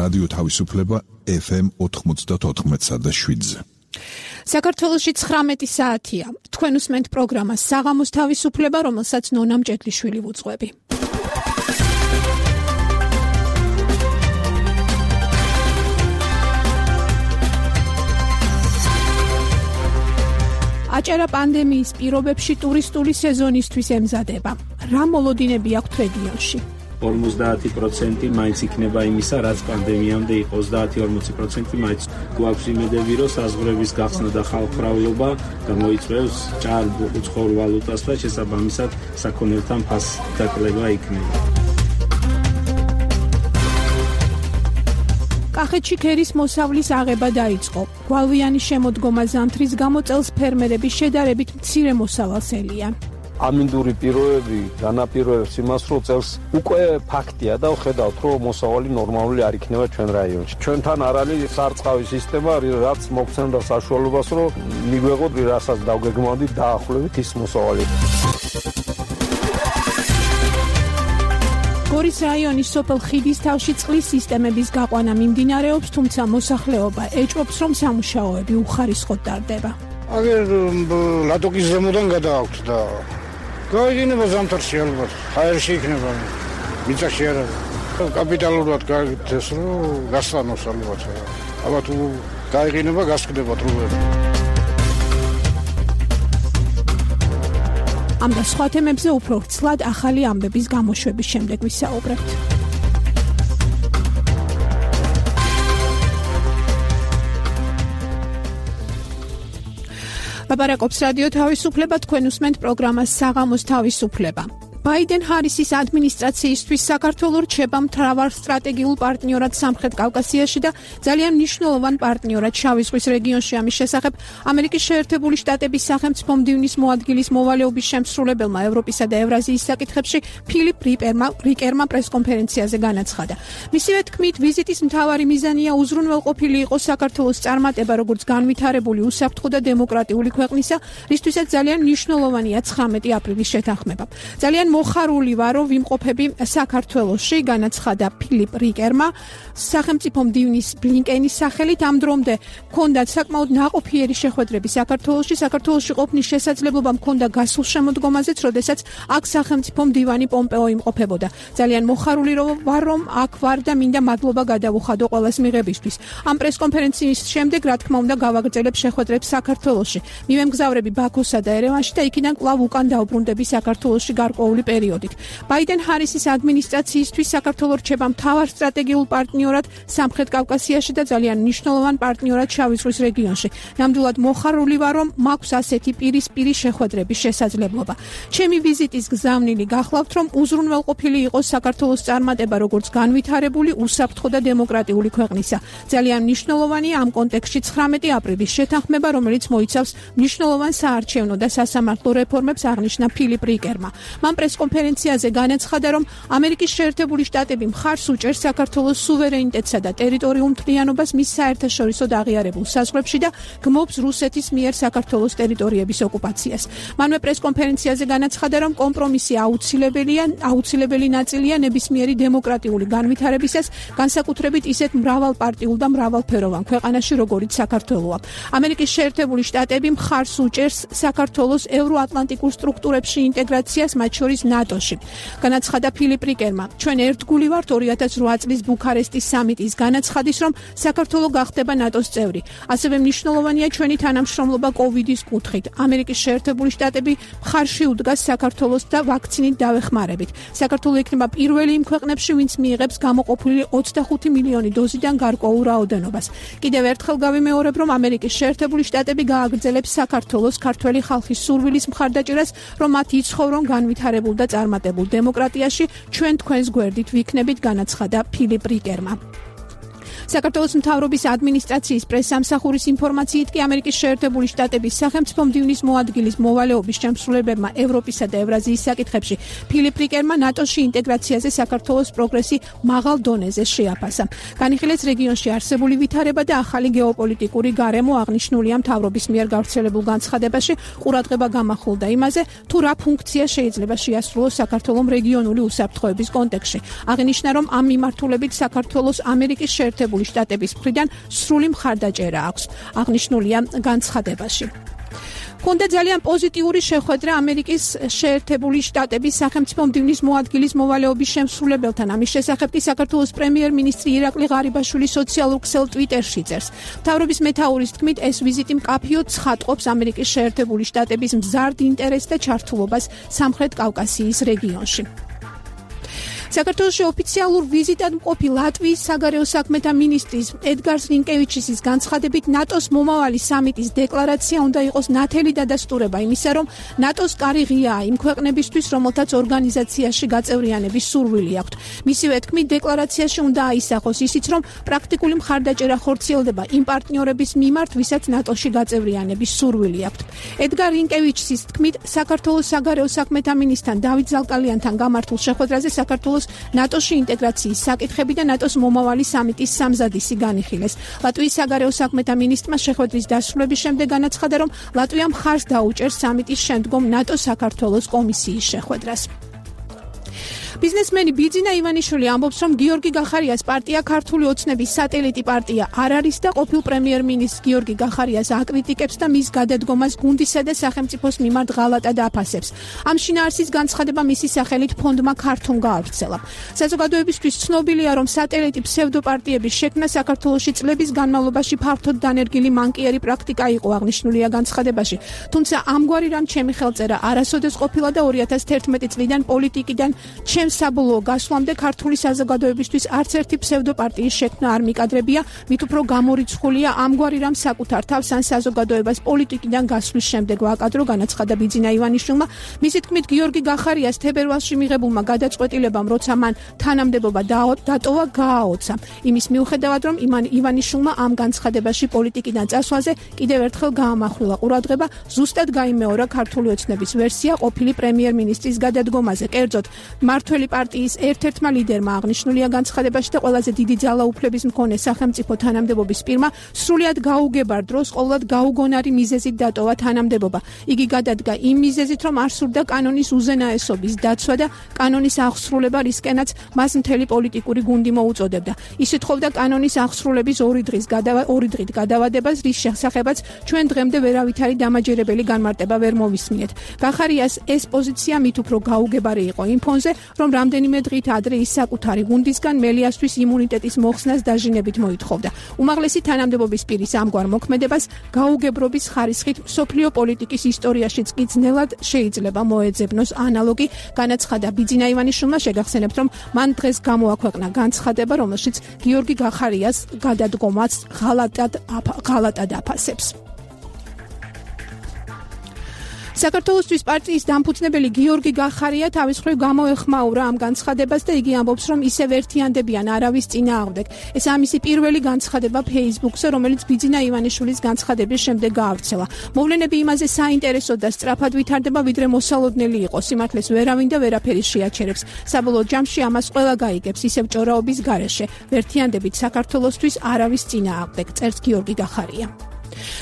რადიო თავისუფლება FM 94.7-ზე. საქართველოში 19 საათია. თქვენ უსმენთ პროგრამას საღამოს თავისუფლება, რომელსაც ნონა მჭედლიშვილი ვუძღვები. აჭარა პანდემიის პირობებში ტურისტული სეზონისთვის ემზადება. რა მოლოდინები აქვთ რეგიონში? 50% მაინც იქნება იმისა, რაც პანდემიამდე იყო 30-40% მაინც გვაქვს იმედები, რომ საზღვრების გახსნა და ხალხმრავლობა გამოიწვევს ჭარბ უცხოურ ვალუტას და შესაბამისად საქონელთან ფასდაკლება იქნება. კახეთში ქერის მოსავლის აღება დაიწყო. გვალვიანი შემოდგომა ზამთრის გამო წელს ფერმერები შედარებით მცირე მოსავალს ელიან. ამინდური პირობები განაპირობებს იმას, რომ წელს უკვე ფაქტია და ხედავთ, რომ მოსავალი ნორმალური არ იქნება ჩვენ რაიონში. ჩვენთან არ არის სარწყავი სისტემა, რაც მოგცემდა საშუალებას, რომ მიგვეღოთ, რასაც დავგეგმავდით დაახლოებით ის მოსავალი. გორის რაიონის სოფელ ხიდისთავში წყლის სისტემების გაყვანა მიმდინარეობს, თუმცა მოსახლეობა ეჭვობს, რომ სამუშაოები უხარისხოდ ტარდება. აგერ ლატოკის ზემოდან გადააქვთ და გაიგინება ზამთარში ალბათ, ჰაერში იქნება, მიწაში არა. კაპიტალურად გაიგდეს, რომ გასწანოს ალბათ. ალბათ გაიგინება, გასკდება ტრუბები. ამ და სხვა თემებზე უფრო ვრცლად ახალი ამბების გამოშვების შემდეგ ვისაუბრებთ. ლაპარაკობს რადიო თავისუფლება, თქვენ უსმენთ პროგრამას საღამოს თავისუფლება. ბაიდენ-ჰარისის ადმინისტრაციისთვის საქართველო რჩება მთავარ სტრატეგიულ პარტნიორად სამხრეთ კავკასიაში და ძალიან მნიშვნელოვან პარტნიორად შავი ზღვის რეგიონში. ამის შესახებ ამერიკის შეერთებული შტატების სახელმწიფო მდივნის მოადგილის მოვალეობის შემსრულებელმა ევროპისა და ევრაზიის საკითხებში ფილიპ რიკერმა პრესკონფერენციაზე განაცხადა. მისივე თქმით, ვიზიტის მთავარი მიზანია უზრუნველყოფილი იყოს საქართველოს წარმატება როგორც განვითარებული, უსაფრთხო და დემოკრატიული ქვეყნისა, რისთვისაც ძალიან მნიშვნელოვანია 19 აპრილის შეთანხმება. ძალიან მოხარული ვარ, რომ ვიმყოფები საქართველოში, განაცხადა ფილიპ რიკერმა სახელმწიფო მდივნის ბლინკენის სახელით. ამ დრომდე ჰქონდათ საკმაოდ ნაყოფიერი შეხვედრები საქართველოში ყოფნის შესაძლებლობა მქონდა გასულ შემოდგომაზეც, როდესაც აქ სახელმწიფო მდივანი პომპეო იმყოფებოდა. ძალიან მოხარული ვარ, რომ აქ ვარ და მინდა მადლობა გადავუხადო ყველას მიღებისთვის. ამ პრესკონფერენციის შემდეგ, რა თქმა უნდა, გავაგრძელებ შეხვედრებს საქართველოში. მივემგზავრები ბაქოსა და ერევანში და იქიდან კვლავ უკან დავბრუნდები საქართველოში გარკვეული პერიოდით. ბაიდენ-ჰარისის ადმინისტრაციისთვის საქართველო რჩება მთავარ სტრატეგიულ პარტნიორად სამხრეთ კავკასიაში და ძალიან მნიშვნელოვან პარტნიორად შავი ზღვის რეგიონში. ნამდვილად მოხარული ვარ, რომ მაქვს ასეთი პირისპირი შეხვედრების შესაძლებლობა. ჩემი ვიზიტის გზავნილი გახლავთ, რომ უზრუნველყოფილი იყოს საქართველოს წარმატება როგორც განვითარებული, უსაფრთხო და დემოკრატიული ქვეყნისა. ძალიან მნიშვნელოვანია ამ კონტექსტში 19 აპრილის შეთანხმება, რომელიც მოიცავს მნიშვნელოვან საარჩევნო და სასამართლო რეფორმებს, აღნიშნა ფილიპ რიკერმა. მან პრესკონფერენციაზე განაცხადა, რომ ამერიკის შეერთებული შტატები მხარს უჭერს საქართველოს სუვერენიტეტსა და ტერიტორიულ მთლიანობას მის საერთაშორისო აღიარებულ საზღვრებში და გმობს რუსეთის მიერ საქართველოს ტერიტორიების ოკუპაციას. მანვე პრესკონფერენციაზე განაცხადა, რომ კომპრომისი აუცილებელი ნაწილია ნებისმიერი დემოკრატიული განვითარებისას, განსაკუთრებით ისეთ მრავალპარტიულ და მრავალფეროვან ქვეყანაში, როგორიც საქართველოა. ამერიკის შეერთებული შტატები მხარს უჭერს საქართველოს ევროატლანტიკურ სტრუქტურებში ინტეგრაციას, მათ შორის ნატოში. განაცხადა ფილიპ რიკერმა, ჩვენ ერთგული ვართ 2008 წლის ბუქარესტის სამიტის განაცხადის, რომ საქართველო გახდება ნატოს წევრი. ასევე მნიშვნელოვანია ჩვენი თანამშრომლობა კოვიდის კუთხით. ამერიკის შეერთებული შტატები მხარში უდგას საქართველოს და ვაქცინით დავეხმარებით. საქართველო იქნება პირველი იმ ქვეყნებში, ვინც მიიღებს გამოყოფილი 25 მილიონი დოზიდან გარკვეულ რაოდენობას. კიდევ ერთხელ გავიმეორებ, რომ ამერიკის შეერთებული შტატები გააგრძელებს საქართველოს ქართველი ხალხის სურვილის მხარდაჭერას, რომ მათ იცხოვრონ განვითარებულ და წარმატებულ დემოკრატიაში, ჩვენ თქვენს გვერდით ვიქნებით, განაცხადა ფილიპ რიკერმა. საქართველოს მთავრობის ადმინისტრაციის პრესსამსახურის ინფორმაციით კი ამერიკის შეერთებული შტატების სახელმწიფო მდივნის მოადგილის მოვალეობის შემსრულებლებმა ევროპისა და ევრაზიის საკითხებში ფილიპ რიკერმა ნატოში ინტეგრაციაზე საქართველოს პროგრესი მაღალ დონეზე შეაფასა. განიხილეს რეგიონში არსებული ვითარება და ახალი გეოპოლიტიკური გარემო აღნიშნულია მთავრობის მიერ გავრცელებულ განცხადებაში. ყურადღება გამახვილდა იმაზე, თუ რა ფუნქცია შეიძლება შეასრულოს საქართველოს რეგიონული უსაფრთხოების კონტექსტში. აღინიშნა, რომ ამ მიმართულებით საქართველოს ამერიკის შეერთებული შტატების მხრიდან სრული მხარდაჭერა აქვს. აღნიშნულია განცხადებაში. Ჰქონდა ძალიან პოზიტიური შეხვედრა ამერიკის შეერთებული შტატების სახელმწიფო მდივნის მოადგილის მოვალეობის შემსრულებელთან. ამის შესახებ კი საქართველოს პრემიერ-მინისტრი ირაკლი ღარიბაშვილი სოციალურ ქსელ ტვიტერში წერს. მთავრობის მეთაურის თქმით, ეს ვიზიტი მკაფიოდ ცხადყოფს ამერიკის შეერთებული შტატების მზარდ ინტერესს და ჩართულობას სამხრეთ კავკასიის რეგიონში. საქართველოში ოფიციალურ ვიზიტად მყოფი ლატვიის საგარეო საქმეთა მინისტრის ედგარ რინკევიჩის განცხადებით ნატოს მომავალი სამიტის დეკლარაცია უნდა იყოს ნათელი დადასტურება იმისა, რომ ნატოს კარი ღიაა იმ ქვეყნებისთვის, რომელთაც ორგანიზაციაში გაწევრიანების სურვილი აქვთ. მისივე თქმით, დეკლარაციაში უნდა აისახოს ისიც, რომ პრაქტიკული მხარდაჭერა ხორციელდება იმ პარტნიორების მიმართ, ვისაც ნატოში გაწევრიანების სურვილი აქვთ. ედგარ რინკევიჩის თქმით, საქართველოს საგარეო საქმეთა მინისტრთან დავით ზალკალიანთან გამართულ შეხვედრაზე საქართველოს ნატოში ინტეგრაციის საკითხები და ნატოს მომავალი სამიტის სამზადისი განიხილეს. ლატვიის საგარეო საქმეთა მინისტრმა შეხვედრის დასრულების შემდეგ განაცხადა, რომ ლატვია მხარს დაუჭერს სამიტის შემდგომ ნატო-საქართველოს კომისიის შეხვედრას. ბიზნესმენი ბიძინა ივანიშვილი ამბობს, რომ გიორგი გახარიას პარტია ქართული ოცნების სატელიტი პარტია არ არის და ყოფილ პრემიერ-მინისტრ გიორგი გახარიას აკრიტიკებს და მის გადადგომას გუნდისა და სახელმწიფოს მიმართ ღალატად აფასებს. ამ შინაარსის განცხადება მისი სახელით ფონდმა ქართულ გაავრცელა. საზოგადოებისთვის ცნობილია, რომ სატელიტი ფსევდოპარტიების შექმნა საქართველოში წლების განმავლობაში ფართოდ დანერგილი მანკიერი პრაქტიკა იყო, აღნიშნულია განცხადებაში. თუმცა ამგვარი რამ ჩემი ხელწერა არასოდეს ყოფილა და 2011 წლიდან პოლიტიკიდან საბოლოო გასვლამდე ქართული საზოგადოებისთვის არც ერთი ფსევდოპარტიის შექმნა არ მიკადრებია, მით უფრო გამორიცხულია ამგვარი რამ საკუთარ თავს ან საზოგადოებას პოლიტიკიდან გასვლის შემდეგ ვაკადრო, განაცხადა ბიძინა ივანიშვილმა. მისი თქმით, გიორგი გახარიას თებერვალში მიღებულმა გადაწყვეტილებამ, როცა მან თანამდებობა დატოვა, გააოცა. იმის მიუხედავად, რომ ივანიშვილმა ამ განცხადებაში პოლიტიკიდან წასვლაზე კიდევ ერთხელ გაამახვილა ყურადღება, ზუსტად გაიმეორა ქართული ოცნების ვერსია ყოფილი პრემიერ-მინისტრის გადადგომაზე. კერძოდ, მართველი პარტიის ერთ-ერთმა ლიდერმა აღნიშნულია განცხადებაში და ყველაზე დიდი ძალაუფლების მქონე სახელმწიფო თანამდებობის პირმა სრულიად გაუგებარ დროს ყოვლად გაუგონარი მიზეზით დატოვა თანამდებობა. იგი გადადგა იმ მიზეზით, რომ არ სურდა კანონის უზენაესობის დაცვა და კანონის აღსრულება, რისკენაც მას მთელი პოლიტიკური გუნდი მოუწოდებდა. ის ეთხოვდა კანონის აღსრულების 2 დღით გადავადებას, რის შესახებაც ჩვენ დღემდე ვერავითარი დამაჯერებელი განმარტება ვერ მოვისმინეთ. გახარიას ეს პოზიცია მით უფრო გაუგებარი იყო იმ ფონზე, რომ რამდენიმე დღით ადრე ის საკუთარი გუნდისგან მელიასთვის იმუნიტეტის მოხსნას დაჟინებით მოითხოვდა. უმაღლესი თანამდებობის პირის ამგვარ მოქმედებას გაუგებრობის ხარისხით მსოფლიო პოლიტიკის ისტორიაშიც კი ძნელად შეიძლება მოეძებნოს ანალოგი, განაცხადა ბიძინა ივანიშვილმა. შეგახსენებთ, რომ მან დღეს გამოაქვეყნა განცხადება, რომელშიც გიორგი გახარიას გადადგომას ღალატად აფასებს. საქართველოსთვის პარტიის დამფუძნებელი გიორგი გახარია თავის მხრივ გამოეხმაურა ამ განცხადებას და იგი ამბობს, რომ ისევ ერთიანდებიან არავის წინააღმდეგ. ეს ამისი პირველი განცხადება Facebook-ზე, რომელიც ბიძინა ივანიშვილის განცხადების შემდეგ გაავრცელა. მოვლენები იმაზე საინტერესოდ და სწრაფად ვითარდება, ვიდრე მოსალოდნელი იყო. სიმართლეს ვერავინ და ვერაფერი შეაჩერებს. საბოლოო ჯამში ამას ყველა გაიგებს, ისევ ჭორაობის გარეშე. ვერთიანდებით საქართველოსთვის არავის წინააღმდეგ, წერს გიორგი გახარია.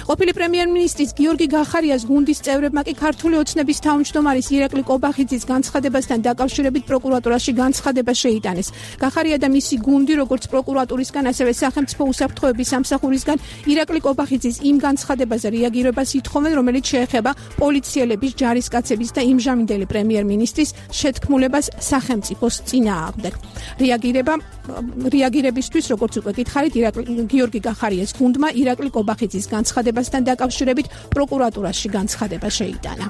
ყოფილი პრემიერ-მინისტრის გიორგი გახარიას გუნდის წევრებმა კი ქართული ოცნების თავმჯდომარის ირაკლი კობახიძის განცხადებასთან დაკავშირებით პროკურატურაში განცხადება შეიტანეს. გახარია და მისი გუნდი, როგორც პროკურატურისგან, ასევე სახელმწიფო უსაფრთხოების სამსახურისგან ირაკლი კობახიძის იმ განცხადებაზე რეაგირებას ითხოვენ, რომელიც შეეხება პოლიციელების ჯარისკაცების და იმჟამინდელი პრემიერ-მინისტრის შეთქმულებას სახელმწიფოს წინააღმდეგ. რეაგირებისთვის, როგორც უკვე გითხარით, გიორგი გახარიას გუნდმა ირაკლი კობახიძის განცხადებასთან დაკავშირებით პროკურატურაში განცხადება შეიტანა.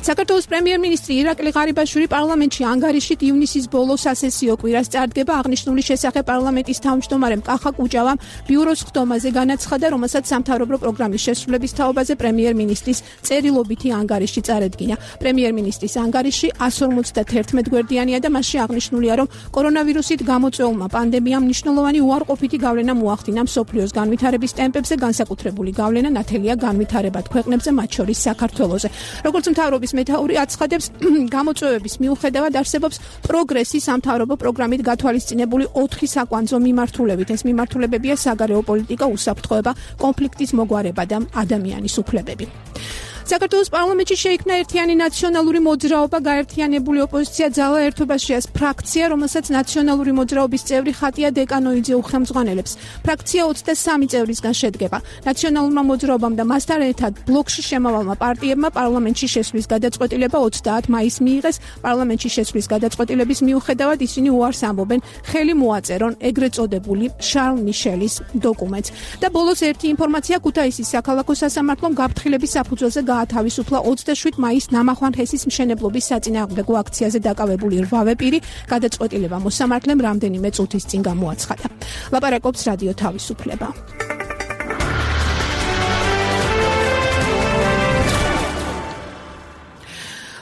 საქართველოს პრემიერ-მინისტრი ირაკლი ღარიბაშვილი პარლამენტში ანგარიშით ივნისის ბოლოს სასესიო კვირას წარდგება. აღნიშნული შესახებ პარლამენტის თავმჯდომარემ კახა კუჭავამ ბიუროს ხდომაზე განაცხადა, რომელსაც სამთავრობო პროგრამის შესრულების თაობაზე პრემიერ-მინისტრის წერილობითი ანგარიში წარედგინა. პრემიერ-მინისტრის ანგარიში 151 გვერდიანია და მასში აღნიშნულია, რომ კორონავირუსით გამოწვეულმა პანდემიამ მნიშვნელოვანი უარყოფითი გავლენა მოახდინა მსოფლიოს განვითარების ტემპებზე, განსაკუთრებული გავლენა ნათელია განვითარებად ქვეყნებზე, მათ შორის საქართველოზე. როგორც მთავრობის მეთაური აცხადებს, გამოწვევების მიუხედავად არსებობს პროგრესი სამთავრობო პროგრამით გათვალისწინებული 4 საკვანძო მიმართულებით. ეს მიმართულებებია საგარეო პოლიტიკა, უსაფრთხოება, კონფლიქტის მოგვარება და ადამიანის უფლებები. საქართველოს პარლამენტში შეიქმნა ერთიანი ნაციონალური მოძრაობა, გაერთიანებული ოპოზიცია ძალა ერთობაშიას ფრაქცია, რომელსაც ნაციონალური მოძრაობის წევრი ხატია დეკანოიძე უხელმძღვანელებს. ფრაქცია 23 წევრისგან შედგება. ნაციონალურმა მოძრაობამ და მასთან ერთად ბლოკში შემავალმა პარტიებმა პარლამენტში შესვლის გადაწყვეტილება 30 მაისს მიიღეს. პარლამენტში შესვლის გადაწყვეტილების მიუხედავად ისინი უარს ამბობენ ხელი მოაწერონ ეგრეთ წოდებული შარლ მიშელის დოკუმენტს. და ბოლოს ერთი ინფორმაცია, ქუთაისის საქალაქო სასამართლომ გაფრთხილების საფუძველზე გაათავისუფლა 27 მაისს ნამახვან ჰესის მშენებლობის საწინააღმდეგო აქციაზე დაკავებული 8 პირი. გადაწყვეტილება მოსამართლემ რამდენიმე წუთის წინ გამოაცხადა. ლაპარაკობს რადიო თავისუფლება.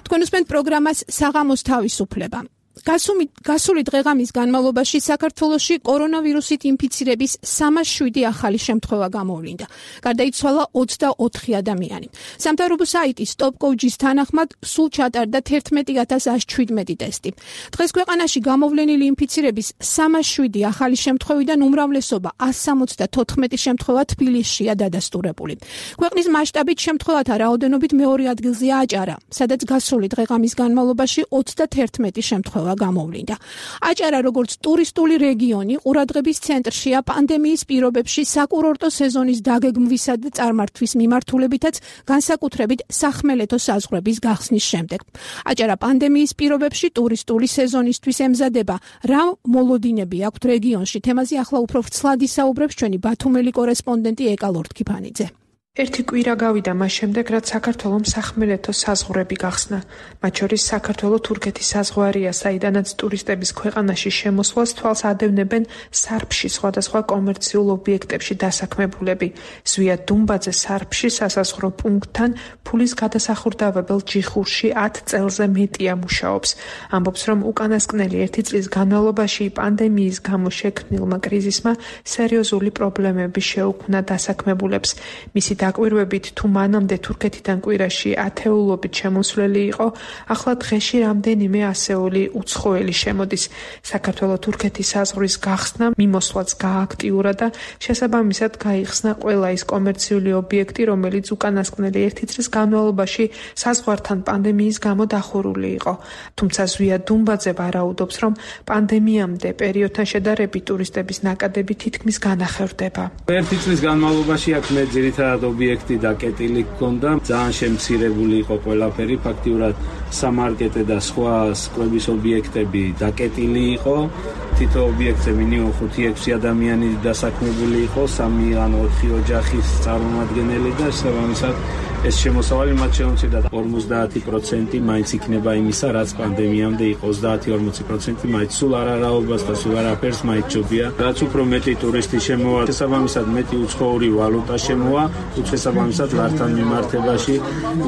თქვენ უსმენთ პროგრამას საღამოს თავისუფლება. გასული დღეღამის განმავლობაში საქართველოში კორონავირუსით ინფიცირების 307 ახალი შემთხვევა გამოვლინდა. გარდაიცვალა 24 ადამიანი. სამთავრობო საიტის Stop.gov-ის თანახმად სულ ჩატარდა 11117 ტესტი. დღეს ქვეყანაში გამოვლენილი ინფიცირების 307 ახალი შემთხვევიდან უმრავლესობა 174 შემთხვევა თბილისშია დადასტურებული. ქვეყნის მასშტაბით შემთხვევათა რაოდენობით მეორე ადგილზეა აჭარა, სადაც გასული დღეღამის განმავლობაში 31 შემთხვევა გამოვლინდა. აჭარა როგორც ტურისტული რეგიონი ყურადღების ცენტრშია პანდემიის პირობებში საკურორტო სეზონის დაგეგმვისა და წარმართვის მიმართულებითაც, განსაკუთრებით სახმელეთო საზღვრების გახსნის შემდეგ. აჭარა პანდემიის პირობებში ტურისტული სეზონისთვის ემზადება. რა მოლოდინები აქვთ რეგიონში? თემაზე ახლა უფრო ვრცლად ისაუბრებს ჩვენი ბათუმელი კორესპონდენტი ეკა ლორთქიფანიძე. ერთი კვირა გავიდა მას შემდეგ, რაც საქართველოს სახმელეთო საზღვრები გახსნა. მათ შორის საქართველო-თურქეთის საზღვარია, საიდანაც ტურისტების ქვეყანაში შემოსვლას თვალს ადევნებენ სარფში სხვადასხვა კომერციულ ობიექტებში დასაქმებულები. ზვია დუმბაძე სარფში სასაზღვრო პუნქტთან ფულის გადასახურდავებელ ჯიხურში 10 წელზე მეტია მუშაობს. ამბობს, რომ უკანასკნელი 1 წლის განმავლობაში პანდემიის გამო შექმნილმა კრიზისმა სერიოზული პრობლემები შეუქმნა დასაქმებულებს. მისი დაკვირვებით, თუ მანამდე თურქეთიდან კვირაში ათეულობით შემოსვლელი იყო, ახლა დღეში რამდენიმე ასეული უცხოელი შემოდის. საქართველო-თურქეთის საზღვრის გახსნა მიმოსვლაც გააქტიურა და შესაბამისად გაიხსნა ყველა ის კომერციული ობიექტი, რომელიც უკანასკნელი 1 წლის განმავლობაში საზღვართან პანდემიის გამო დახურული იყო. თუმცა ზვია დუმბაძე ვარაუდობს, რომ პანდემიამდე პერიოდთან შედარებით ტურისტების ნაკადები თითქმის განახევრდება. 1 წლის განმავლობაში აქ მე ძირითადად ობიექტი დაკეტილი გქონდა, ძალიან შემცირებული იყო ყველაფერი, ფაქტიურად სამარკეტე და სხვა სკვების ობიექტები დაკეტილი იყო. თითო ობიექტზე მინიმუმ 5-6 ადამიანი დასაქმებული იყო, 3 ან 4 ოჯახის წარმომადგენელი და შესაბამისად ეს შემოსავალი მათ შეუცირდა 50% მაინც იქნება იმისა, რაც პანდემიამდე იყო 30-40% მაინც სულ არარაობას და სულ არაფერს მაინც ჯობია. რაც უფრო მეტი ტურისტი შემოვა, შესაბამისად მეტი უცხოური ვალუტა შემოვა, შესაბამისად ლართან მიმართებაში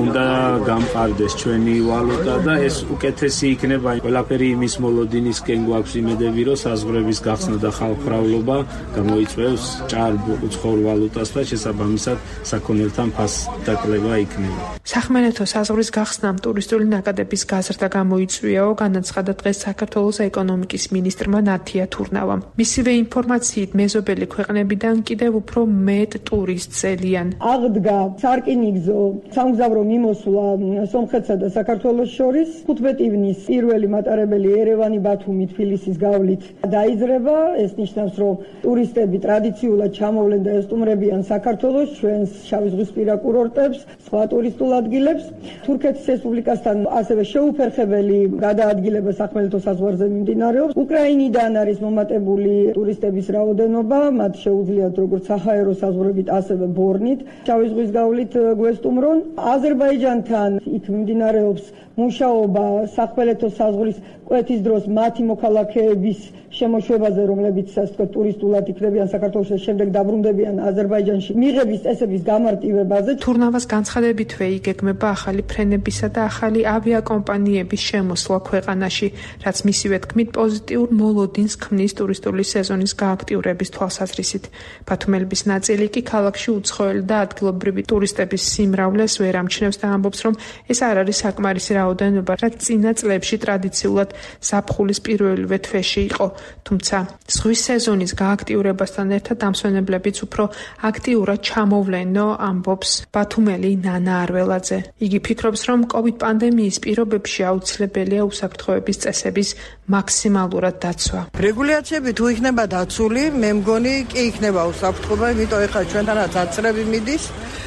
უნდა გამყარდეს ჩვენი ვალუტა და ეს უკეთესი იქნება. ყველაფერი იმის მოლოდინისკენ გვაქვს იმედები, რომ საზღვრების გახსნა და ხალხმრავლობა გამოიწვევს ჭარბ უცხოურ ვალუტას და შესაბამისად საქონელთან ფასდაკლება იქნება. სახმელეთო საზღვრის გახსნამ ტურისტული ნაკადების გაზრდა გამოიწვიაო, განაცხადა დღეს საქართველოს ეკონომიკის მინისტრმა ნათია თურნავამ. მისივე ინფორმაციით მეზობელი ქვეყნებიდან კიდევ უფრო მეტ ტურისტს ელიან. აღდგა სარკინიგზო სამგზავრო მიმოსვლა სომხეთსა და საქართველოს შორის 15 ივნისს პირველი მატარებელი ერევანი ბათუმი თბილისის გავლით დაიძრება. ეს ნიშნავს, რომ ტურისტები ტრადიციულად ჩამოვლენ და ესტუმრებიან საქართველოს ჩვენს შავიზღვისპირა კურორტებს. სხვა ტურისტულ ადგილებს. თურქეთის რესპუბლიკასთან ასევე შეუფერხებელი გადაადგილება სახმელეთო საზღვარზე მიმდინარეობს. უკრაინიდან არის მომატებული ტურისტების რაოდენობა, მათ შეუძლიათ როგორც საჰაერო საზღვრებით, ასევე ბორნით შავი ზღვის გავლით გვესტუმრონ. აზერბაიჯანთან იქ მიმდინარეობს მუშაობა სახმელეთო საზღვრის კვეთის დროს მათი მოქალაქეების შემოშვებაზე, რომლებიც ასე ვთქვათ ტურისტულად იქნებიან საქართველოში, შემდეგ დაბრუნდებიან აზერბაიჯანში მიღების წესების გამარტივებაზე. თურნავას განცხადებითვე იგეგმება ახალი ფრენებისა და ახალი ავიაკომპანიების შემოსვლა ქვეყანაში, რაც მისივე თქმით პოზიტიურ მოლოდინს ქმნის ტურისტული სეზონის გააქტიურების თვალსაზრისით. ბათუმელების ნაწილი კი ქალაქში უცხოელი და ადგილობრივი ტურისტების სიმრავლეს ვერ ამჩნევს და ამბობს, რომ ეს არ არის საკმარისი რაოდენობა, რაც წინა წლებში ტრადიციულად ზაფხულის პირველივე თვეში იყო. თუმცა ზღვის სეზონის გააქტიურებასთან ერთად დამსვენებლებიც უფრო აქტიურად ჩამოვლენო, ამბობს ბათუმელი ნანა არველაძე. იგი ფიქრობს, რომ COVID პანდემიის პირობებში აუცილებელია უსაფრთხოების წესების მაქსიმალურად დაცვა. რეგულაციები თუ იქნება დაცული, მე მგონი კი იქნება უსაფრთხოება, იმიტომ ეხლა ჩვენთანაც აწრები მიდის.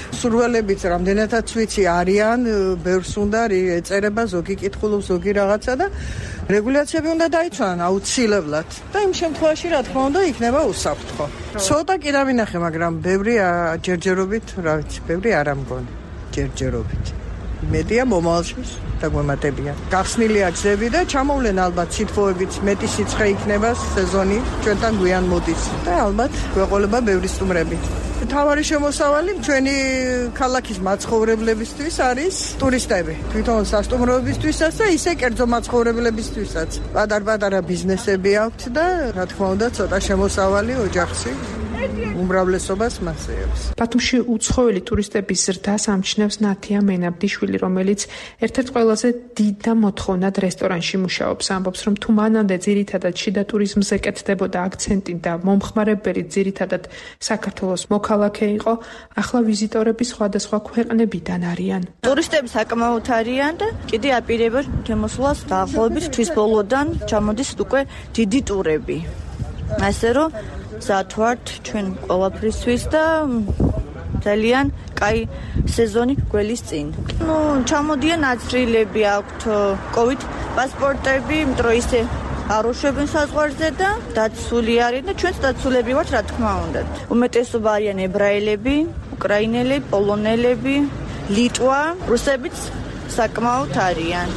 სურველებიც რამდენადაც ვიცი არიან, ბევრს უნდა ეწერება, ზოგი კითხულობს, ზოგი რაღაცა და რეგულაციები უნდა დაიცვან აუცილებლად. და იმ შემთხვევაში, რა თქმა უნდა, იქნება უსაფრთხო. ცოტა კი დავინახე, მაგრამ ბევრი ჯერჯერობით, რა ვიცი, ბევრი არ ამგონი ჯერჯერობით. მედია მომავალში დაგვემატებიან. გახსნილია გზები და ჩამოვლენ ალბათ სიტყვოებიც, მეტი სიცხე იქნება სეზონი, ჩვენთან გვიან მოდის და ალბათ გვეყოლება ბევრი სტუმრები. თავარი შემოსავალი ჩვენი ქალაქის მაცხოვრებლებისთვის არის ტურისტები. თვითონ სასტუმროებისთვისაც და ისე კერძო მაცხოვრებლებისთვისაც. პატარ-პატარა ბიზნესები აქვთ და რა თქმა უნდა ცოტა შემოსავალი ოჯახში უმრავლესობას მასეებს. ბათუმში უცხოელი ტურისტების ზრდას ამჩნევს ნათია მენაბდიშვილი, რომელიც ერთ-ერთ ყველაზე დიდ და მოთხოვნად რესტორანში მუშაობს. ამბობს, რომ თუ მანამდე ძირითადად შიდა ტურიზმზე კეთდებოდა აქცენტი და მომხმარებელი ძირითადად საქართველოს მოქალაქე იყო, ახლა ვიზიტორები სხვადასხვა ქვეყნებიდან არიან. ტურისტები საკმაოდ არიან და კიდე აპირებენ შემოსვლას დაახლოებით თვის ბოლოდან ჩამოდის უკვე დიდი ტურები. ასე რომ ზათვართ ჩვენ ყველაფრისთვის და ძალიან კაი სეზონი გველის წინ. ჩამოდიან აზრილები აქვთ COVID პასპორტები, იმიტომ ისე არ უშვებენ საზღვარზე და დაცული არის და ჩვენც დაცულები ვართ, რა თქმა უნდა. უმეტესობა არიან ებრაელები, უკრაინელები, პოლონელები, ლიტვა, რუსებიც საკმაოდ არიან.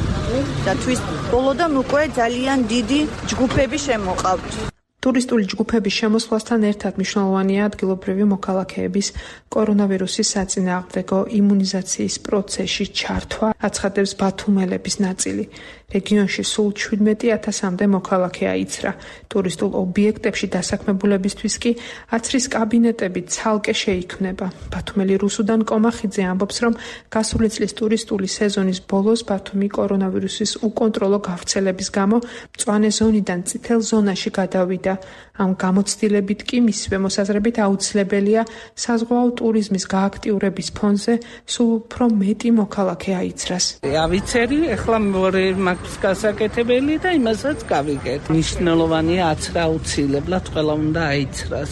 და თვის ბოლოდან უკვე ძალიან დიდი ჯგუფები შემოყავთ. ტურისტული ჯგუფების შემოსვლასთან ერთად მნიშვნელოვანია ადგილობრივი მოქალაქეების კორონავირუსის საწინააღმდეგო იმუნიზაციის პროცესში ჩართვა, აცხადებს ბათუმელების ნაწილი. რეგიონში სულ 17,000-მდე მოქალაქე აიცრა. ტურისტულ ობიექტებში დასაქმებულებისთვის კი აცრის კაბინეტები ცალკე შეიქმნება. ბათუმელი რუსუდან კომახიძე ამბობს, რომ გასული წლის ტურისტული სეზონის ბოლოს ბათუმი კორონავირუსის უკონტროლო გავრცელების გამო მწვანე ზონიდან წითელ ზონაში გადავიდა. ამ გამოცდილებით კი მისივე მოსაზრებით აუცილებელია საზღვაო ტურიზმის გააქტიურების ფონზე სულ უფრო მეტი მოქალაქე აიცრას. ავიცერი, ახლა მეორე მაქვს გასაკეთებელი და იმასაც გავიგეთ. მნიშვნელოვანია აცრა აუცილებლად ყველა უნდა აიცრას.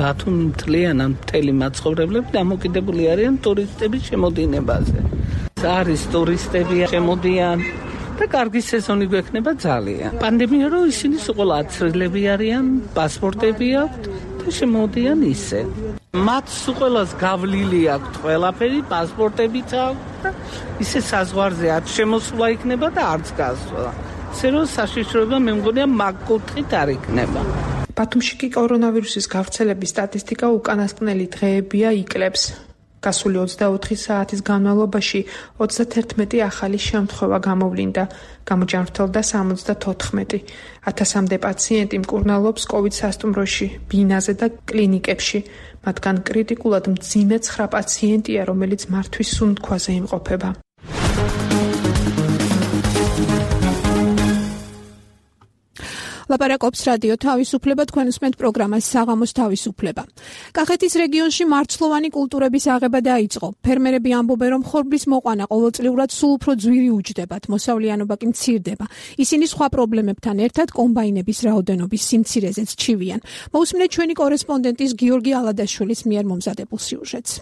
ბათუმი მთლიანად მთელი მაცხოვრებლები დამოკიდებული არიან ტურისტების შემოდინებაზე. არის ტურისტები შემოდიან და კარგი სეზონი გვექნება ძალიან. პანდემია რო ისინი სულ აცრილები არიან, პასპორტები აქვთ და შემოდიან ისე. მათ სულას გავლილი აქვთ ყველაფერი, პასპორტებიც აქვთ და ისე საზღვარზე არ შემოსვლა იქნება და არც გასვლა. ისე რომ საშიშროება მე მგონია მაგკუთხით არ იქნება. ბათუმში კი კორონავირუსის გავრცელების სტატისტიკა უკანასკნელი დღეებია იკლებს. გასული 24 საათის განმავლობაში 31 ახალი შემთხვევა გამოვლინდა, გამოჯანმრთელდა 74. 1000-მდე პაციენტი მკურნალობს COVID სასტუმროში, ბინაზე და კლინიკებში. მათგან კრიტიკულად მძიმე 9 პაციენტია, რომელიც მართვის სუნთქვაზე იმყოფება. ლაპარაკობს რადიო თავისუფლება, თქვენ უსმენთ პროგრამას საღამოს თავისუფლება. კახეთის რეგიონში მარცვლოვანი კულტურების აღება დაიწყო. ფერმერები ამბობენ, რომ ხორბლის მოყვანა ყოველწლიურად სულ უფრო ძვირი უჯდებათ, მოსავლიანობა კი მცირდება. ისინი სხვა პრობლემებთან ერთად კომბაინების რაოდენობის სიმცირეზეც ჩივიან. მოусმინეთ ჩვენი კორესპონდენტის გიორგი ალადაშვილის მიერ მომზადებულ სიუჟეტს.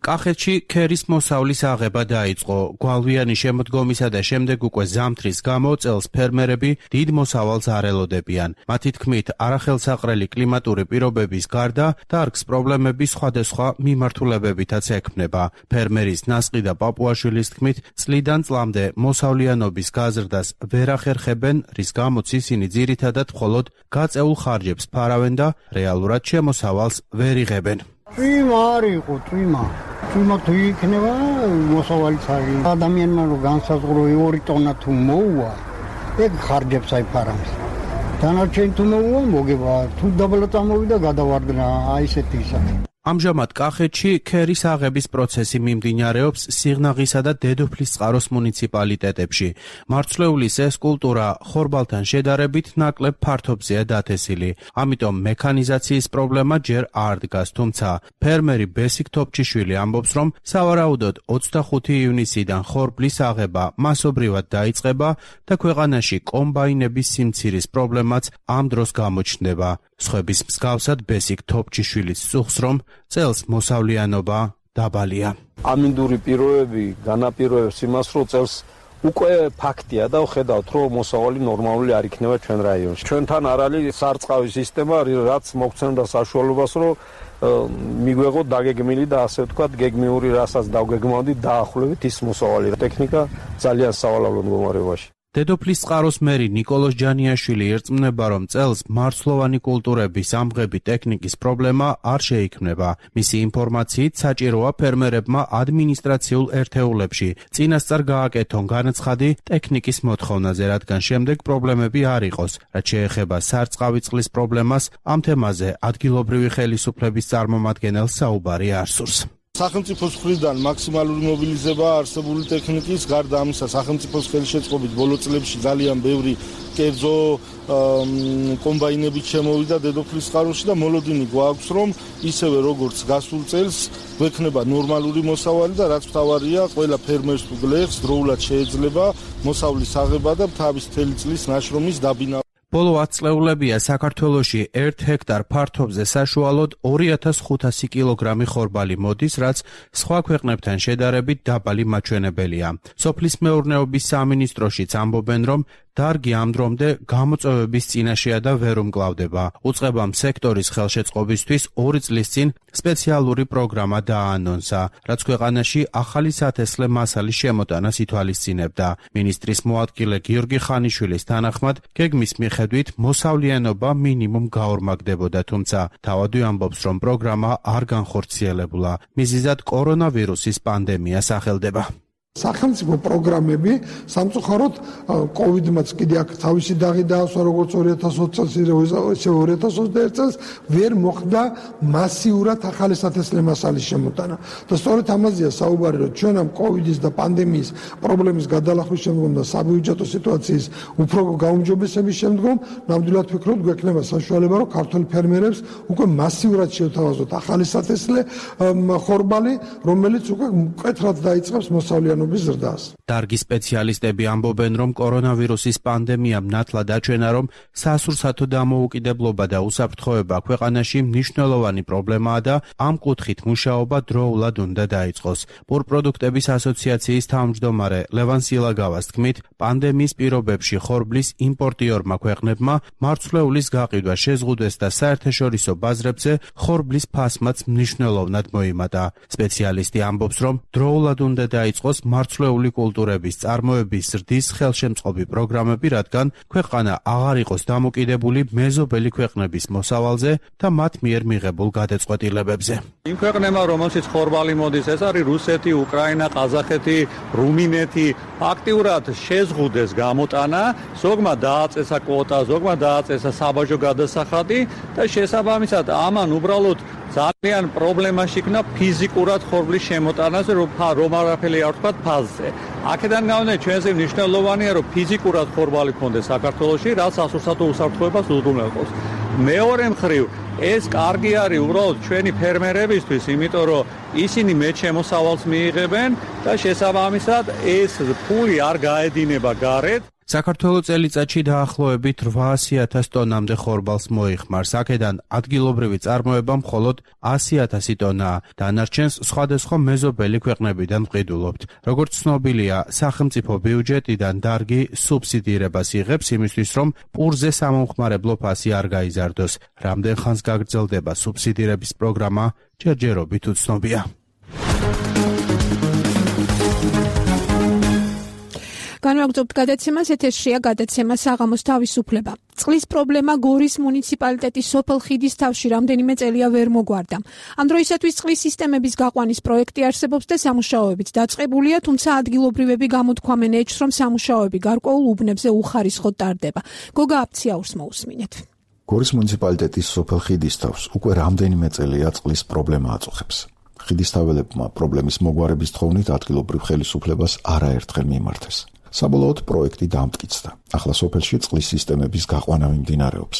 კახეთში ქერის მოსავლის აღება დაიწყო. გვალვიანი შემოდგომისა და შემდეგ უკვე ზამთრის გამო წელს ფერმერები დიდ მოსავალს არ ელოდებიან. მათი თქმით, არახელსაყრელი კლიმატური პირობების გარდა დარგს პრობლემები სხვადასხვა მიმართულებებითაც ექმნება. ფერმერის ნასყი და პაპუაშვილის თქმით, წლიდან წლამდე მოსავლიანობის გაზრდას ვერ ახერხებენ, რის გამოც ისინი ძირითადად მხოლოდ გაწეულ ხარჯებს ფარავენ და რეალურად შემოსავალს ვერ იღებენ. წვიმა არ იყო, წვიმა თუ იქნება მოსავალიც არის. ადამიანმა რომ განსაზღვრო 2 ტონა თუ მოუვა, ეგ ხარჯებს აიფარავს. დანარჩენი თუ მოუვა, მოგება თუ დაბლა წამოვიდა გადავარდნა, აი ესეთი ისაა. ამჟამად კახეთში ქერის აღების პროცესი მიმდინარეობს სიღნაღისა და დედოფლისწყაროს მუნიციპალიტეტებში. მარცვლეულის ეს კულტურა ხორბალთან შედარებით ნაკლებ ფართობზეა დათესილი. ამიტომ მექანიზაციის პრობლემა ჯერ არ დგას, თუმცა ფერმერი ბესიკ თოფჩიშვილი ამბობს, რომ სავარაუდოდ 25 ივნისიდან ხორბლის აღება მასობრივად დაიწყება და ქვეყანაში კომბაინების სიმცირის პრობლემაც ამ დროს გამოჩნდება. სხვების მსგავსად ბესიკ თოფჩიშვილის წუხს, რომ წელს მოსავლიანობა დაბალია. ამინდური პირობები განაპირობებს იმას, რომ წელს უკვე ფაქტია და ხედავთ, რომ მოსავალი ნორმალური არ იქნება ჩვენ რაიონში. ჩვენთან არ არის სარწყავი სისტემა, რაც მოგცემდა საშუალებას, რომ მიგვეღოთ დაგეგმილი და ასე ვთქვათ, გეგმიური რასაც დავგეგმავდი, დაახლოებით ის მოსავალი. ტექნიკა ძალიან სავალალო მდგომარეობაში. დედოფლისწყაროს მერი ნიკოლოზ ჯანიაშვილი ერწმუნება, რომ წელს მარცვლოვანი კულტურების ამღები ტექნიკის პრობლემა არ შეიქმნება. მისი ინფორმაციით, საჭიროა ფერმერებმა ადმინისტრაციულ ერთეულებში წინასწარ გააკეთონ განაცხადი ტექნიკის მოთხოვნაზე, რადგან შემდეგ პრობლემები არ იყოს. რაც შეეხება სარწყავი წყლის პრობლემას, ამ თემაზე ადგილობრივი ხელისუფლების წარმომადგენელს საუბარი არ სურს. სახელმწიფოს მხრიდან მაქსიმალური მობილიზება არსებული ტექნიკის, გარდა ამისა სახელმწიფოს ხელშეწყობით ბოლო წლებში ძალიან ბევრი კერძო კომბაინები შემოვიდა დედოფლისწყაროში და მოლოდინი გვაქვს, რომ ისევე როგორც გასულ წელს გვექნება ნორმალური მოსავალი და რაც მთავარია, ყველა ფერმერს თუ გლეხს დროულად შეეძლება მოსავლის აღება და თავის მთელი წლის ნაშრომის დაბინა. ბოლო 10 წლეულებია საქართველოში 1 ჰექტარ ფართობზე საშუალოდ 2500 კილოგრამი ხორბალი მოდის, რაც სხვა ქვეყნებთან შედარებით დაბალი მაჩვენებელია. სოფლის მეურნეობის სამინისტროშიც ამბობენ, რომ დარგი ამ დრომდე გამოწვევების წინაშეა და ვერ უმკლავდება. უწყებამ სექტორის ხელშეწყობისთვის 2 წლის წინ სპეციალური პროგრამა დააანონსა, რაც ქვეყანაში ახალი სათესლე მასალის შემოტანას ითვალისწინებდა. მინისტრის მოადგილე გიორგი ხანიშვილის თანახმად, გეგმის მიხედვით მოსავლიანობა მინიმუმ გაორმაგდებოდა, თუმცა თავადვე ამბობს, რომ პროგრამა არ განხორციელებულა. მიზეზად კორონავირუსის პანდემია სახელდება. სახელმწიფო პროგრამები სამწუხაროდ კოვიდმაც კიდე აქ თავისი დაღი დაასვა, როგორც 2020 წელს, ისე 2021 წელს ვერ მოხდა მასიურად ახალი სათესლე მასალის შემოტანა. და სწორედ ამაზეა საუბარი, რომ ჩვენ ამ კოვიდის და პანდემიის პრობლემის გადალახვის შემდგომ და საბიუჯეტო სიტუაციის უფრო გაუმჯობესების შემდგომ, ნამდვილად ვფიქრობ, გვექნება საშუალება, რომ ქართული ფერმერებს უკვე მასიურად შევთავაზოთ ახალი სათესლე ხორბალი, რომელიც უკვე მკვეთრად დაიწყებს მოსავლიანობას. დარგის სპეციალისტები ამბობენ, რომ კორონავირუსის პანდემიამ ნათლად აჩვენა, რომ სასურსათო დამოუკიდებლობა და უსაფრთხოება ქვეყანაში მნიშვნელოვანი პრობლემაა და ამ კუთხით მუშაობა დროულად უნდა დაიწყოს. პურპროდუქტების ასოციაციის თავმჯდომარე ლევან სილაგავას თქმით, პანდემიის პირობებში ხორბლის იმპორტიორმა ქვეყნებმა მარცვლეულის გაყიდვა შეზღუდეს და საერთაშორისო ბაზრებზე ხორბლის ფასმაც მნიშვნელოვნად მოიმატა. სპეციალისტი ამბობს, რომ დროულად უნდა დაიწყოს მარცვლეული კულტურების წარმოების ზრდის ხელშემწყობი პროგრამები, რადგან ქვეყანა აღარ იყოს დამოკიდებული მეზობელი ქვეყნების მოსავალზე და მათ მიერ მიღებულ გადაწყვეტილებებზე. იმ ქვეყნებმა, რომელშიც ხორბალი მოდის, ეს არის რუსეთი, უკრაინა, ყაზახეთი, რუმინეთი, აქტიურად შეზღუდეს გამოტანა, ზოგმა დააწესა კვოტა, ზოგმა დააწესა საბაჟო გადასახადი და შესაბამისად ამან უბრალოდ ძალიან პრობლემა შექმნა ფიზიკურად ხორბლის შემოტანაზე, რომ არაფერი არ ვთქვათ ფაზზე. აქედან გამომდინარე, ჩვენზე მნიშვნელოვანია, რომ ფიზიკურად ხორბალი ქონდეს საქართველოში, რაც სასურსათო უსაფრთხოებას უზრუნველყოფს. მეორე მხრივ, ეს კარგი არის უბრალოდ ჩვენი ფერმერებისთვის, იმიტომ რომ ისინი მეტ შემოსავალს მიიღებენ და შესაბამისად ეს ფული არ გაედინება გარეთ. საქართველოს წელიწადში დაახლოებით 800,000 ტონამდე ხორბალს მოიხმარს. აქედან ადგილობრივი წარმოება მხოლოდ 100,000 ტონაა. დანარჩენს სხვადასხვა მეზობელი ქვეყნებიდან მყიდულობთ. როგორც ცნობილია, სახელმწიფო ბიუჯეტიდან დარგი სუბსიდირებას იღებს იმისთვის, რომ პურზე სამომხმარებლო ფასი არ გაიზარდოს. რამდენ ხანს გაგრძელდება სუბსიდირების პროგრამა, ჯერჯერობით უცნობია. განვაგრძობთ გადაცემას, ეთერშია გადაცემა საღამოს თავისუფლება. წყლის პრობლემა გორის მუნიციპალიტეტის სოფელ ხიდისთავში რამდენიმე წელია ვერ მოგვარდა. ამ დროისათვის წყლის სისტემების გაყვანის პროექტი არსებობს და სამუშაოებიც დაწყებულია, თუმცა ადგილობრივები გამოთქვამენ ეჭვს, რომ სამუშაოები გარკვეულ უბნებზე უხარისხოდ ტარდება. გოგა აფციაურს მოусმინეთ. გორის მუნიციპალიტეტის სოფელ ხიდისთავს უკვე რამდენიმე წელია წყლის პრობლემა აწუხებს. ხიდისთაველებმა პრობლემის მოგვარების თხოვნით ადგილობრივ ხელისუფლებას არაერთხელ მიმართეს. საბოლოოდ პროექტი დამტკიცდა. ახლა სოფელში წყლის სისტემების გაყვანა მიმდინარეობს.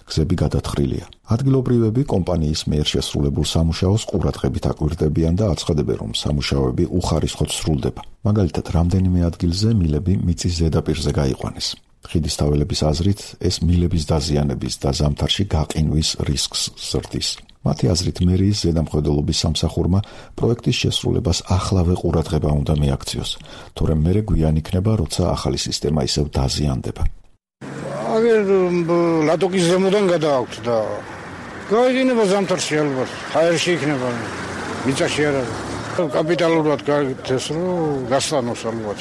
გზები გადათხრილია. ადგილობრივები კომპანიის მიერ შესრულებულ სამუშაოს ყურადღებით აკვირდებიან და აცხადებენ, რომ სამუშაოები უხარისხოდ სრულდება. მაგალითად, რამდენიმე ადგილზე მილები მიწის ზედაპირზე გაიყვანეს. ხიდისთაველების აზრით, ეს მილების დაზიანების და ზამთარში გაყინვის რისკს ზრდის. მათი აზრით, მერიის ზედამხედველობის სამსახურმა პროექტის შესრულებას ახლავე ყურადღება უნდა მიაქციოს, თორემ მერე გვიან იქნება, როცა ახალი სისტემა ისევ დაზიანდება. აგერ ლატოკის ზემოდან გადააქვთ და გაიგინება ზამთარში ალბათ, ჰაერში იქნება, მიწაში არა. კაპიტალურად გაიგდეს, რომ გასლანოს ალბათ.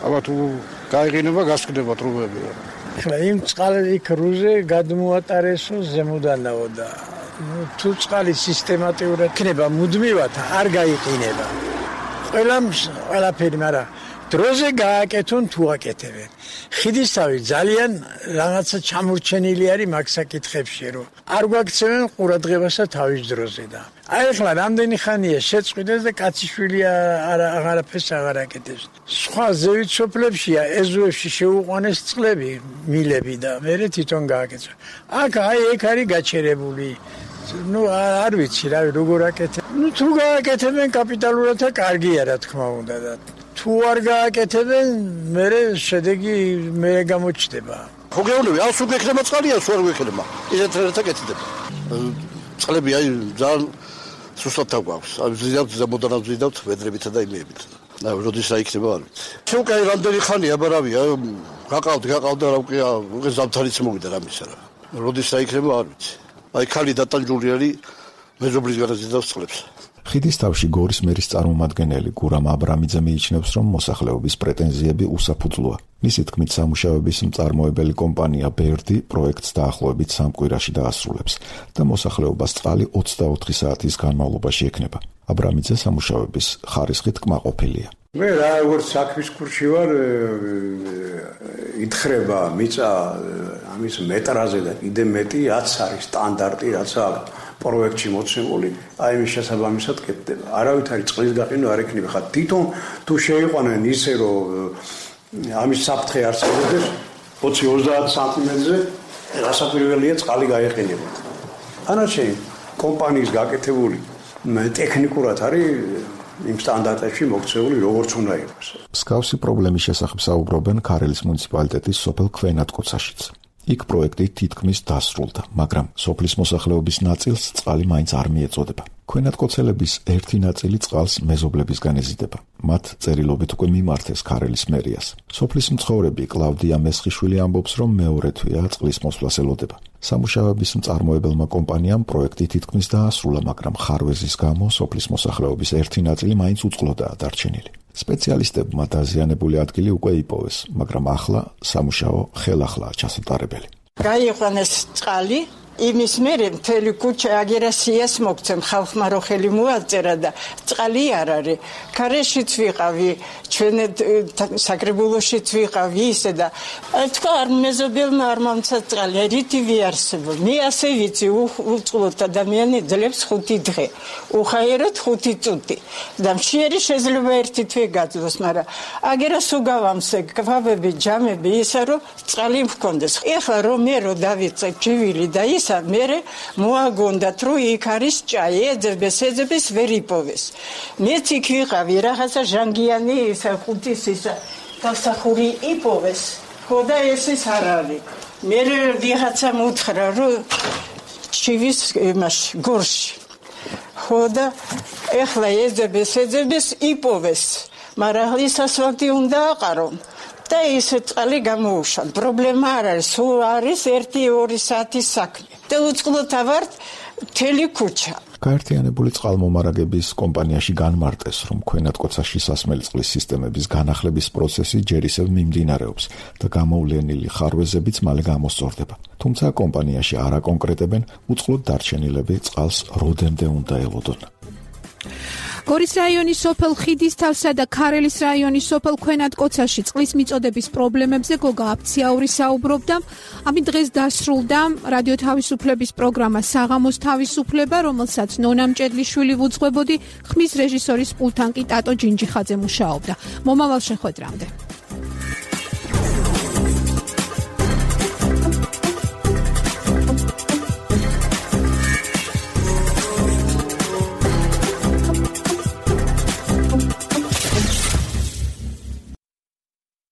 აბა თუ გაიგინება, გასკდება ტრუბები. ახლა იმ წყალი კრუზე გადმოატარესო ზემოდანაო და თუ წყალი სისტემატიურად იქნება მუდმივად არ გაიყინება. ყველაფერი, მაგრამ დროზე გააკეთონ თუ აკეთებენ. ხიდისთავი ძალიან რაღაცა ჩამორჩენილი არის მაგ საკითხებში, რომ არ გვაქცევენ ყურადღებასა თავის დროზე და აი ახლა რამდენი ხანია შეწყვიტეს და კაციშვილი აღარაფერს აღარ აკეთებს. სხვა ზევით სოფლებშია ეზოებში შეუყვანეს წყლები, მილები და მერე თვითონ გააკეთა. აქ ეგ არის გაჩერებული. არ ვიცი რა როგორ აკეთებენ. თუ გააკეთებენ კაპიტალურად და კარგია რა თქმა უნდა და თუ არ გააკეთებენ, მერე შედეგი გამოჩნდება. ხო გეუბნები, ან სულ გექნება წყალია, სულ არ გექნება. ისეთ რატა კეთდება. წყლები აი ძალიან სუსტად დაგვაქვს. აი ზემოდანაც ვიდავთ ვედრებითა და იმეებით. აი როდის რა იქნება არ ვიცი. შეუკაი რამდენი ხანია, ბარავია, გაყავდა რა უკვე ზამთარიც მოვიდა რამისა რა. როდის რა იქნება არ ვიცი. აი ხალი დატანჯული არის მეზობლის გადაზიდავს წყლებს. ხიდისთავში გორის მერის წარმომადგენელი გურამ აბრამიძე მიიჩნევს, რომ მოსახლეობის პრეტენზიები უსაფუძვლოა. მისი თქმით, სამუშაოების მწარმოებელი კომპანია ბერდი პროექტს დაახლოებით 3 კვირაში დაასრულებს და მოსახლეობას წყალი 24 საათის განმავლობაში ექნება. აბრამიძე სამუშაოების ხარისხით კმაყოფილია. მე როგორც საქმის კურსში ვარ, ითხრება მიწა ამის მეტრაზე და კიდე მეტი 10 არის სტანდარტი, რაც პროექტში მოცემული, აი მის შესაბამისად კეთდება. არავით არის წყლის გაყინვა არ ექნება. ხა თვითონ თუ შეიყვანენ ისე რომ ამის საფრთხე არსებობდეს 20-30 სანტიმეტრზე, რასაკვირველია წყალი გაეყინება. ანაშენ კომპანიის გაკეთებული ტექნიკურად არის იმ სტანდარტებში მოქცეული როგორც უნდა იყოს. მსგავსი პრობლემის შესახებ საუბრობენ ქარელის მუნიციპალიტეტის სოფელ ქვენატკოცაშიც. იქ პროექტი თითქმის დასრულდა, მაგრამ სოფლის მოსახლეობის ნაწილს წყალი მაინც არ მიეწოდება. ქვენატკოცელების ერთი ნაწილი წყალს მეზობლებისგან ეზიდება. მათ წერილობით უკვე მიმართეს ქარელის მერიას. სოფლის მცხოვრები კლავდია მესხიშვილი ამბობს, რომ მეორე თვეა წყლის მოსვლას ელოდება. სამუშაოების მწარმოებელმა კომპანიამ პროექტი თითქმის დაასრულა, მაგრამ ხარვეზის გამო სოფლის მოსახლეობის ერთი ნაწილი მაინც უწყლოდაა დარჩენილი. სპეციალისტებმა დაზიანებული ადგილი უკვე იპოვეს, მაგრამ ახლა სამუშაო ხელახლაა ჩასატარებელი. გაიყვანეს წყალი, იმის მერე მთელი კუჩა აგერასიას მოგცემ, ხალხმა რო ხელი მოაწერა და წყალი არ არის. ქარეშიც ვიყავი, ჩვენ საკრებულოშიც ვიყავი ისე და თქვა არ მეზობელმა არ მომცა წყალი, რითი ვიარსებო. მე ასე ვიცი, უწყლოდ ადამიანი ძლებს 5 დღე. უხაეროთ 5 წუთი. და მშიერი შეიძლება 1 თვე გაძლოს, მაგრამ აგერას უგავამსე, ქვაბები, ჯამები ისა რომ წყალი მქონდეს. ეხლა რომ მე რო დავიწყე ჯივილი და მერე მოაგონდათ რომ იქ არის ჭაი, ეძებს ვერ იპოვეს. მეც იქ ვიყავი, რაღაცა ჟანგიანი ისა ხუთის ისა დასახური იპოვეს. ხო და ეს ის არ არის. მე ვიღაცა მუთხრა რომ ჩივის იმაში გორში. ხო და ეხლა ეძებს იპოვეს. მაგრამ ის ასფალტი უნდა აყარონ. და ისე წყალი გამოუშვან. პრობლემა არ არის, სულ არის 1-2 საათის საქმე. და უწყლოდ ავართ მთელი ქუჩა. გაერთიანებული წყალმომარაგების კომპანიაში განმარტეს, რომ ქვენატკოცაში სასმელი წყლის სისტემების განახლების პროცესი ჯერ ისევ მიმდინარეობს და გამოვლენილი ხარვეზებიც მალე გამოსწორდება. თუმცა კომპანიაში არ აკონკრეტებენ უწყლოდ დარჩენილები წყალს როდემდე უნდა ელოდონ. გორის რაიონის სოფელ ხიდისთავსა და ქარელის რაიონის სოფელ ქვენატკოცაში წყლის მიწოდების პრობლემებზე გოგა აფციაური საუბრობდა. ამით დღეს დასრულდა რადიო თავისუფლების პროგრამა საღამოს თავისუფლება, რომელსაც ნონა მჭედლიშვილი ვუძღვებოდი, ხმის რეჟისორის პულტან კი ტატო ჯინჯიხაძე მუშაობდა. მომავალ შეხვედრამდე.